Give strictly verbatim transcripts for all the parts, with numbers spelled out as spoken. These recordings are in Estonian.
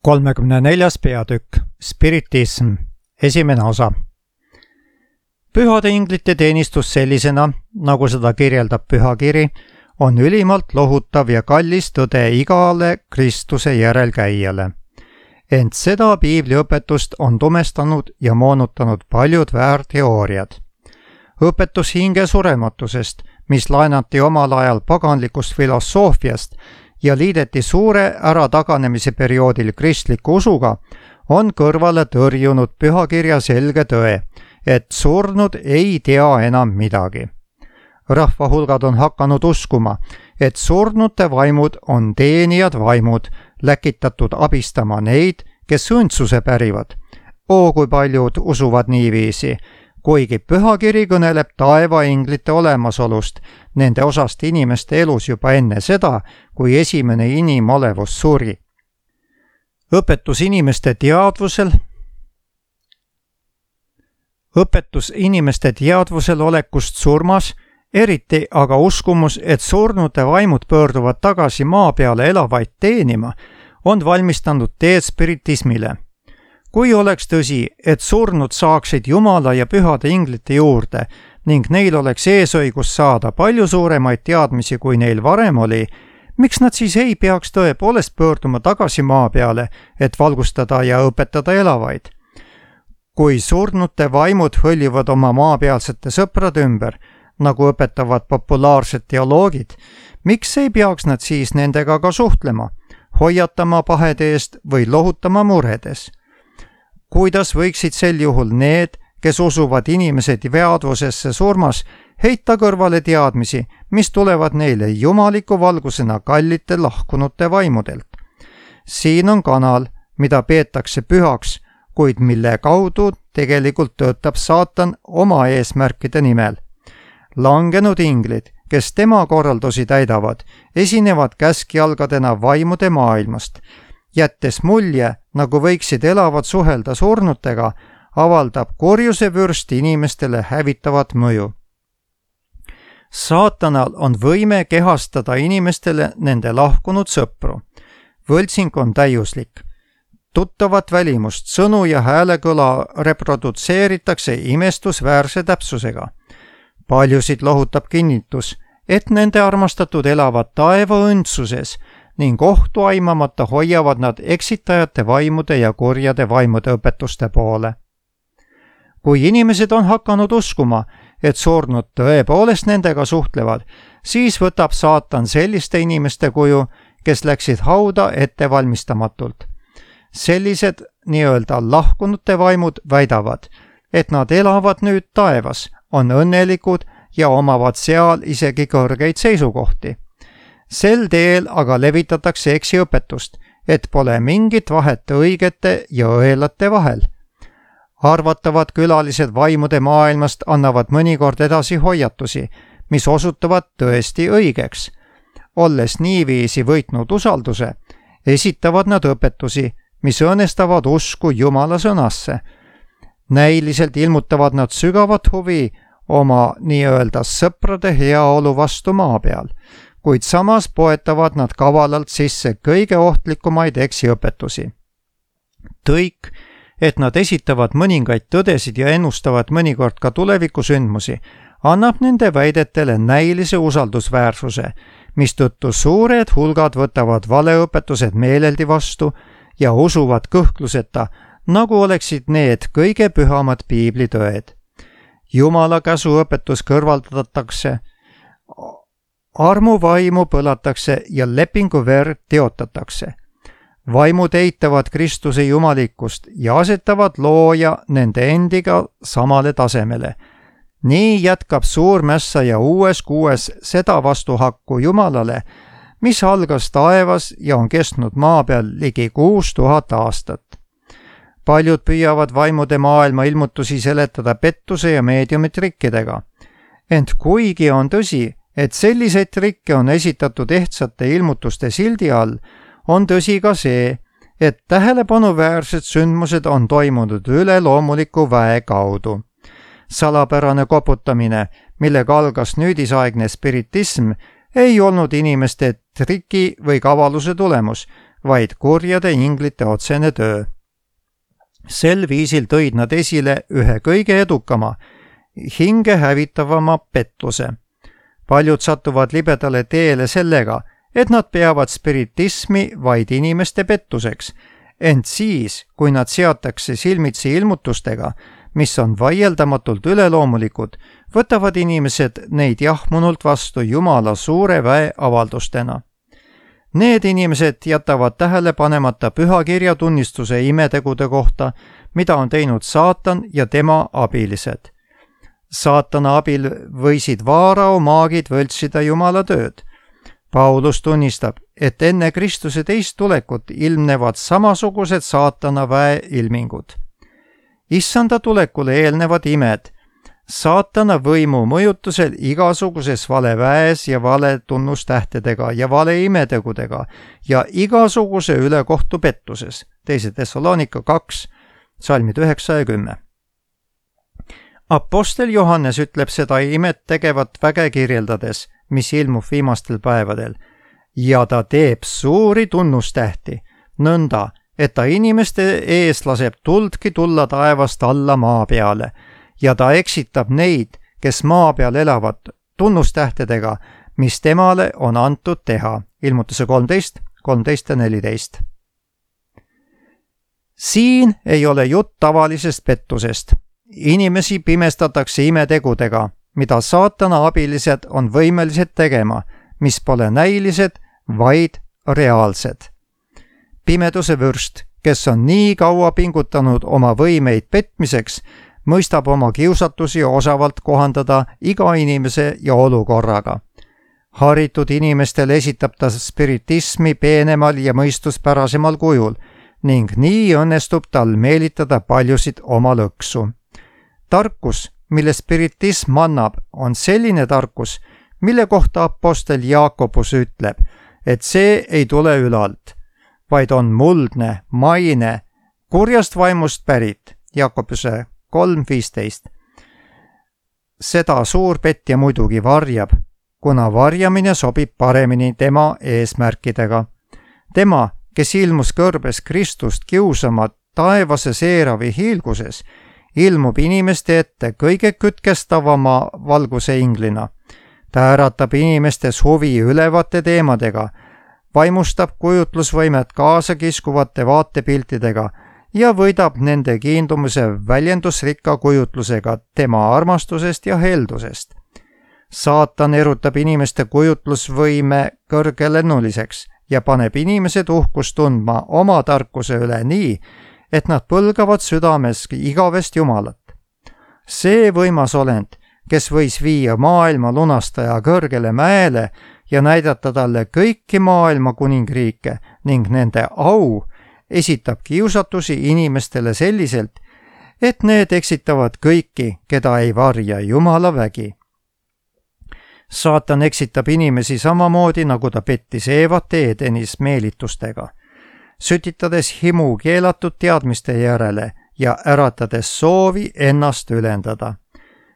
kolmekümne neljas peatükk, spiritism, esimene osa. Pühade inglite teenistus sellisena, nagu seda kirjeldab pühakiri, on ülimalt lohutav ja kallis tõde igale Kristuse järelkäijale. Ent seda piibliõpetust on tumestanud ja moonutanud paljud väärteooriad. Õpetus hinge surematusest, mis laenati omal ajal paganlikust filosoofiast ja liideti suure ärataganemise perioodil kristliku usuga, on kõrvale tõrjunud pühakirja selge tõe, et surnud ei tea enam midagi. Rahvahulgad on hakanud uskuma, et surnute vaimud on teenijad vaimud, läkitatud abistama neid, kes õndsuse pärivad. Oo, kui paljud usuvad niiviisi, kuigi pühakiri kõneleb taevainglite olemasolust, nende osast inimeste elus juba enne seda, kui esimene inimolevus suri. Õpetus inimeste teadvusel Õpetus inimeste teadvusel olekust surmas, eriti aga uskumus, et surnute vaimud pöörduvad tagasi maa peale elavaid teenima, on valmistanud teed spiritismile. Kui oleks tõsi, et surnud saaksid Jumala ja pühade inglite juurde ning neil oleks eesõigus saada palju suuremaid teadmisi, kui neil varem oli, miks nad siis ei peaks tõepoolest pöörduma tagasi maa peale, et valgustada ja õpetada elavaid? Kui surnute vaimud hõljuvad oma maapealsete sõprade ümber, nagu õpetavad populaarsed teoloogid, miks ei peaks nad siis nendega ka suhtlema, hoiatama pahede eest või lohutama muredes? Kuidas võiksid sel juhul need, kes usuvad inimesed veadvusesse surmas, heita kõrvale teadmisi, mis tulevad neile jumaliku valgusena kallite lahkunute vaimudelt? Siin on kanal, mida peetakse pühaks, kuid mille kaudu tegelikult töötab saatan oma eesmärkide nimel. Langenud inglid, kes tema korraldusi täidavad, esinevad käskjalgadena vaimude maailmast. Jättes mulje, nagu võiksid elavad suhelda surnutega, avaldab kurjuse vürst inimestele hävitavat mõju. Saatanal on võime kehastada inimestele nende lahkunud sõpru. Võltsing on täiuslik. Tuttavat välimust, sõnu ja häälekõla reprodutseeritakse imestusväärse täpsusega. Paljusid lohutab kinnitus, et nende armastatud elavad taeva õndsuses ning ohtu aimamata hoiavad nad eksitajate vaimude ja kurjade vaimude õpetuste poole. Kui inimesed on hakanud uskuma, et surnud tõepoolest nendega suhtlevad, siis võtab saatan selliste inimeste kuju, kes läksid hauda ettevalmistamatult. Sellised nii-öelda lahkunute vaimud väidavad, et nad elavad nüüd taevas, on õnnelikud ja omavad seal isegi kõrgeid seisukohti. Sel teel aga levitatakse eksiõpetust, et pole mingit vahet õigete ja õelate vahel. Arvatavad külalised vaimude maailmast annavad mõnikord edasi hoiatusi, mis osutuvad tõesti õigeks. Olles niiviisi võitnud usalduse, esitavad nad õpetusi, mis õõnestavad usku Jumala sõnasse. Näiliselt ilmutavad nad sügavat huvi oma nii-öelda sõprade heaolu vastu maa peal, kuid samas poetavad nad kavalalt sisse kõige ohtlikumaid eksiõpetusi. Tõik, et nad esitavad mõningaid tõdesid ja ennustavad mõnikord ka tulevikusündmusi, annab nende väidetele näilise usaldusväärsuse, mistõttu suured hulgad võtavad valeõpetused meeleldi vastu ja usuvad kõhkluseta, nagu oleksid need kõige pühamad piiblitõed. Jumala käsuõpetus kõrvaldatakse, armuvaimu põlatakse ja lepingu verd teotatakse. Vaimud eitavad Kristuse jumalikkust ja asetavad looja nende endiga samale tasemele. Nii jätkab suurmässa ja uues kuues seda vastuhakku Jumalale, mis algas taevas ja on kestnud maa peal ligi kuus tuhat aastat. Paljud püüavad vaimude maailma ilmutusi seletada pettuse ja meediumi trikkidega. Ent kuigi on tõsi, et selliseid trikke on esitatud ehtsate ilmutuste sildi all, on tõsi ka see, et tähelepanuväärsed sündmused on toimunud üleloomuliku väe kaudu. Salapärane koputamine, millega algas nüüdisaegne spiritism, ei olnud inimeste triki või kavaluse tulemus, vaid kurjade inglite otsene töö. Sel viisil tõid nad esile ühe kõige edukama, hinge hävitavama pettuse. Paljud satuvad libedale teele sellega, et nad peavad spiritismi vaid inimeste pettuseks, ent siis, kui nad seatakse silmitsi ilmutustega, mis on vaieldamatult üleloomulikud, võtavad inimesed neid jahmunult vastu Jumala suure väe avaldustena. Need inimesed jätavad tähele panemata pühakirja tunnistuse imetegude kohta, mida on teinud saatan ja tema abilised. Saatana abil võisid vaarao maagid võltsida Jumala tööd. Paulus tunnistab, et enne Kristuse teist tulekut ilmnevad samasugused saatana väe ilmingud. Issanda tulekule eelnevad imed, saatana võimu mõjutusel igasuguses vale väes ja vale tunnustähtedega ja vale imetegudega ja igasuguse ülekohtu pettuses. teise Thessalonika kaks, salmid üheksa ja kümme. Apostel Johannes ütleb seda imet tegevat väge kirjeldades, mis ilmub viimastel päevadel, ja ta teeb suuri tunnustähti, nõnda, et ta inimeste ees laseb tuldki tulla taevast alla maa peale, ja ta eksitab neid, kes maa peal elavad, tunnustähtedega, mis temale on antud teha. Ilmutuse kolmteist, kolmteist ja neliteist. Siin ei ole jutt tavalisest pettusest. Inimesi pimestatakse imetegudega, mida saatana abilised on võimelised tegema, mis pole näilised, vaid reaalsed. Pimeduse vürst, kes on nii kaua pingutanud oma võimeid petmiseks, mõistab oma kiusatusi osavalt kohandada iga inimese ja olukorraga. Haritud inimestel esitab ta spiritismi peenemal ja mõistuspärasemal kujul ning nii õnnestub tal meelitada paljusid oma lõksu. Tarkus, mille spiritism annab, on selline tarkus, mille kohta apostel Jaakobus ütleb, et see ei tule ülalt, vaid on muldne, maine, kurjast vaimust pärit, Jaakobuse kolm viisteist. Seda suur petja muidugi varjab, kuna varjamine sobib paremini tema eesmärkidega. Tema, kes ilmus kõrbes Kristust kiusama taevase seeravi hiilguses, ilmub inimeste ette kõige kütkestavama valguse inglina. Ta äratab inimestes huvi ülevate teemadega, vaimustab kujutlusvõimet kaasa kiskuvate vaatepiltidega ja võidab nende kiindumise väljendusrikka kujutlusega tema armastusest ja heldusest. Saatan erutab inimeste kujutlusvõime kõrgelennuliseks ja paneb inimesed uhkust tundma oma tarkuse üle nii, et nad põlgavad südames igavest Jumalat. See võimas olend, kes võis viia maailma lunastaja kõrgele mäele ja näidata talle kõiki maailma kuningriike ning nende au, esitab kiusatusi inimestele selliselt, et need eksitavad kõiki, keda ei varja Jumala vägi. Saatan eksitab inimesi samamoodi, nagu ta pettis Eevat Edenis meelitustega, sütitades himu keelatud teadmiste järele ja äratades soovi ennast ülendada.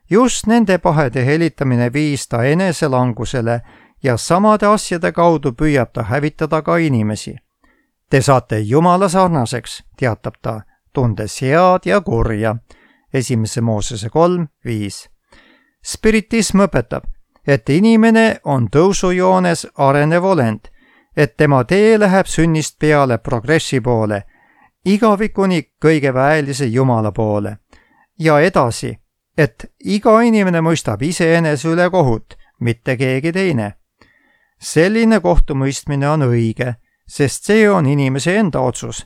Just nende pahede helitamine viis ta eneselangusele ja samade asjade kaudu püüab ta hävitada ka inimesi. Te saate Jumala sarnaseks, teatab ta, tundes head ja kurja. Esimese Moosese kolm viis. Spiritism õpetab, et inimene on tõusujoones arenev olend, et tema tee läheb sünnist peale progressi poole, igavikuni kõige väelise Jumala poole. Ja edasi, et iga inimene mõistab iseenese üle kohut, mitte keegi teine. Selline kohtumõistmine on õige, sest see on inimese enda otsus.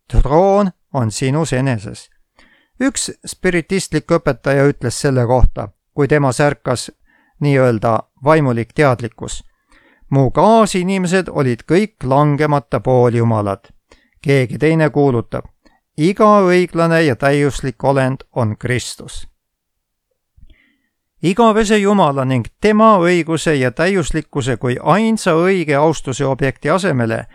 Troon on sinus eneses. Üks spiritistlik õpetaja ütles selle kohta, kui tema särkas nii-öelda vaimulik teadlikkus. Mu kaasinimesed olid kõik langemata pool Jumalad. Keegi teine kuulutab, iga õiglane ja täiuslik olend on Kristus. Igavese Jumala ning tema õiguse ja täiuslikkuse kui ainsa õige austuse objekti asemele,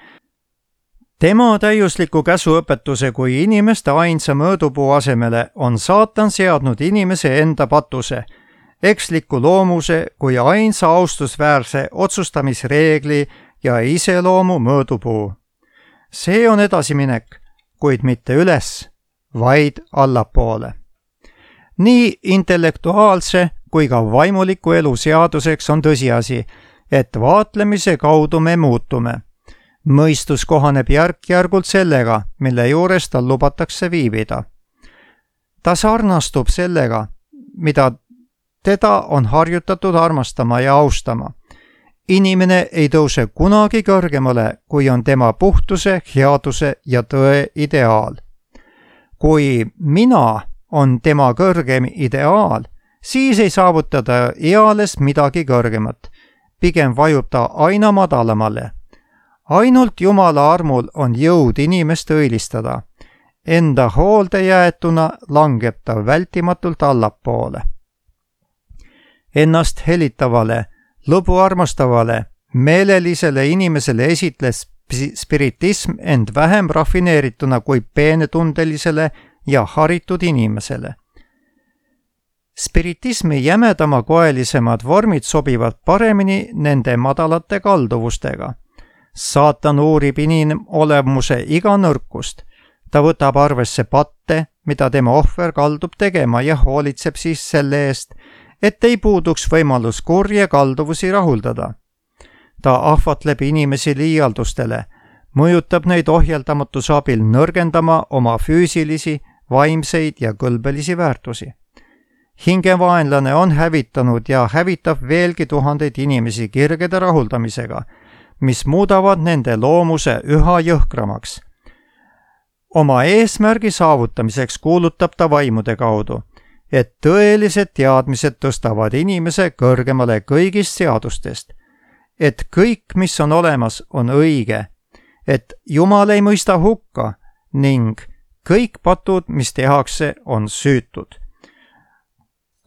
tema täiusliku käsuõpetuse kui inimeste ainsa mõõdupuu asemele on saatan seadnud inimese enda patuse, eksliku loomuse kui ainsa austusväärse otsustamisreegli ja iseloomu mõõdupuu. See on edasiminek, kuid mitte üles, vaid allapoole. Nii intellektuaalse kui ka vaimuliku elu seaduseks on tõsiasi, et vaatlemise kaudu me muutume. Mõistus kohaneb järk-järgult sellega, mille juures tal lubatakse viibida. Ta sarnastub sellega, mida teda on harjutatud armastama ja austama. Inimene ei tõuse kunagi kõrgemale, kui on tema puhtuse, headuse ja tõe ideaal. Kui mina on tema kõrgem ideaal, siis ei saavutada eales midagi kõrgemat. Pigem vajub ta aina madalamale. Ainult Jumala armul on jõud inimest õilistada. Enda hoolde jäetuna langeb ta vältimatult allapoole. Ennast helitavale, lõbu armastavale, meelelisele inimesele esitles spiritism end vähem rafineerituna kui peenetundelisele ja haritud inimesele. Spiritismi jämedama koelisemad vormid sobivad paremini nende madalate kalduvustega. Saatan uurib inimolemuse iga nõrkust. Ta võtab arvesse patte, mida tema ohver kaldub tegema ja hoolitseb siis selle eest, et ei puuduks võimalus kurje kalduvusi rahuldada. Ta ahvatleb inimesi liialdustele, mõjutab neid ohjeldamatuse abil nõrgendama oma füüsilisi, vaimseid ja kõlbelisi väärtusi. Hingevaenlane on hävitanud ja hävitab veelgi tuhandeid inimesi kirgede rahuldamisega, mis muudavad nende loomuse üha jõhkramaks. Oma eesmärgi saavutamiseks kuulutab ta vaimude kaudu, et tõelised teadmised tõstavad inimese kõrgemale kõigist seadustest, et kõik, mis on olemas, on õige, et Jumal ei mõista hukka ning kõik patud, mis tehakse, on süütud.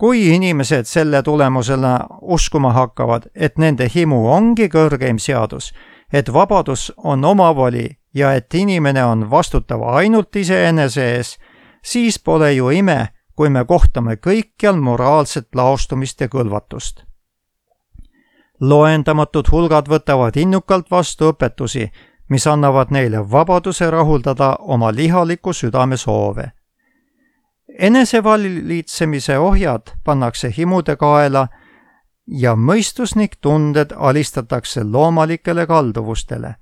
Kui inimesed selle tulemusena uskuma hakkavad, et nende himu ongi kõrgeim seadus, et vabadus on omavoli ja et inimene on vastutav ainult iseenese ees, siis pole ju ime, kui me kohtame kõikjal moraalset laostumist ja kõlvatust. Loendamatud hulgad võtavad innukalt vastu õpetusi, mis annavad neile vabaduse rahuldada oma lihaliku südame soove. Enesevalitsemise ohjad pannakse himude kaela ja mõistusnik tunded alistatakse loomalikele kalduvustele.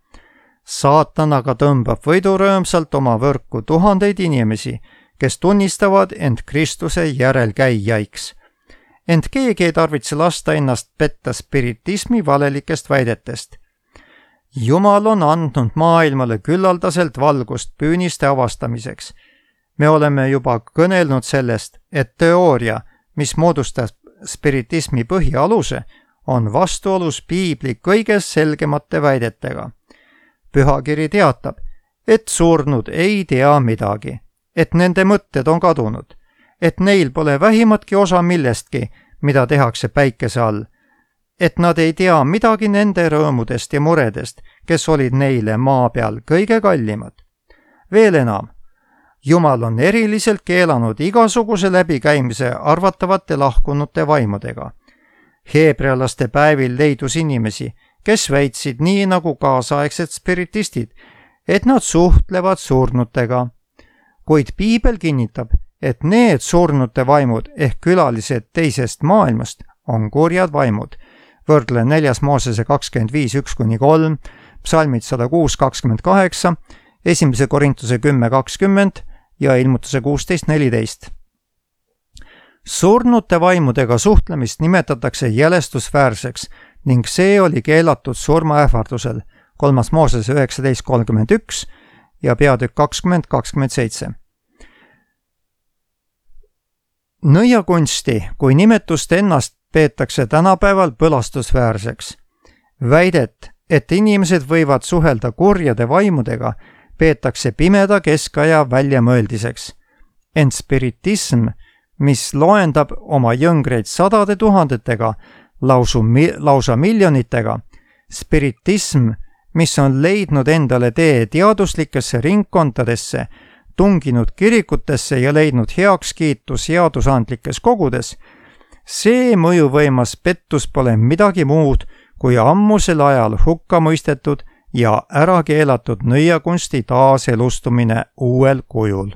Saatan aga tõmbab võidurõõmsalt oma võrku tuhandeid inimesi, kes tunnistavad end Kristuse järelkäijaiks. Ent keegi ei tarvitse lasta ennast petta spiritismi valelikest väidetest. Jumal on andnud maailmale küllaldaselt valgust püüniste avastamiseks. Me oleme juba kõnelnud sellest, et teooria, mis moodustab spiritismi põhialuse, on vastuolus piibli kõige selgemate väidetega. Pühakiri teatab, et surnud ei tea midagi, et nende mõtted on kadunud, et neil pole vähimatki osa millestki, mida tehakse päikese all, et nad ei tea midagi nende rõõmudest ja muredest, kes olid neile maa peal kõige kallimad. Veel enam, Jumal on eriliselt keelanud igasuguse läbikäimise arvatavate lahkunute vaimudega. Heebrealaste päevil leidus inimesi, kes väitsid nii nagu kaasaegsed spiritistid, et nad suhtlevad surnutega. Kuid piibel kinnitab, et need surnute vaimud ehk külalised teisest maailmast on kurjad vaimud. Võrdle neljas Moosese kakskümmend viis üks kuni kolm, psalmid sada kuus kakskümmend kaheksa, esimese Korintuse kümme kakskümmend ja ilmutuse kuusteist neliteist. Surnute vaimudega suhtlemist nimetatakse jälestusväärseks ning see oli keelatud surmaähvardusel, kolmas Moosese üheksateist kolmkümmend üks ja peatükk kakskümmend kakskümmend seitse. Nõiakunsti kui nimetust ennast peetakse tänapäeval põlastusväärseks. Väidet, et inimesed võivad suhelda kurjade vaimudega, peetakse pimeda keskaja väljamõeldiseks. Ent spiritism, mis loendab oma jõngreid sadade tuhandetega, lausu, lausa miljonitega, spiritism, mis on leidnud endale tee teaduslikesse ringkondadesse, tunginud kirikutesse ja leidnud heakskiitu seadusandlikes kogudes, see mõjuvõimas pettus pole midagi muud kui ammusel ajal hukka mõistetud ja ärakeelatud nõiakunsti taaselustumine uuel kujul.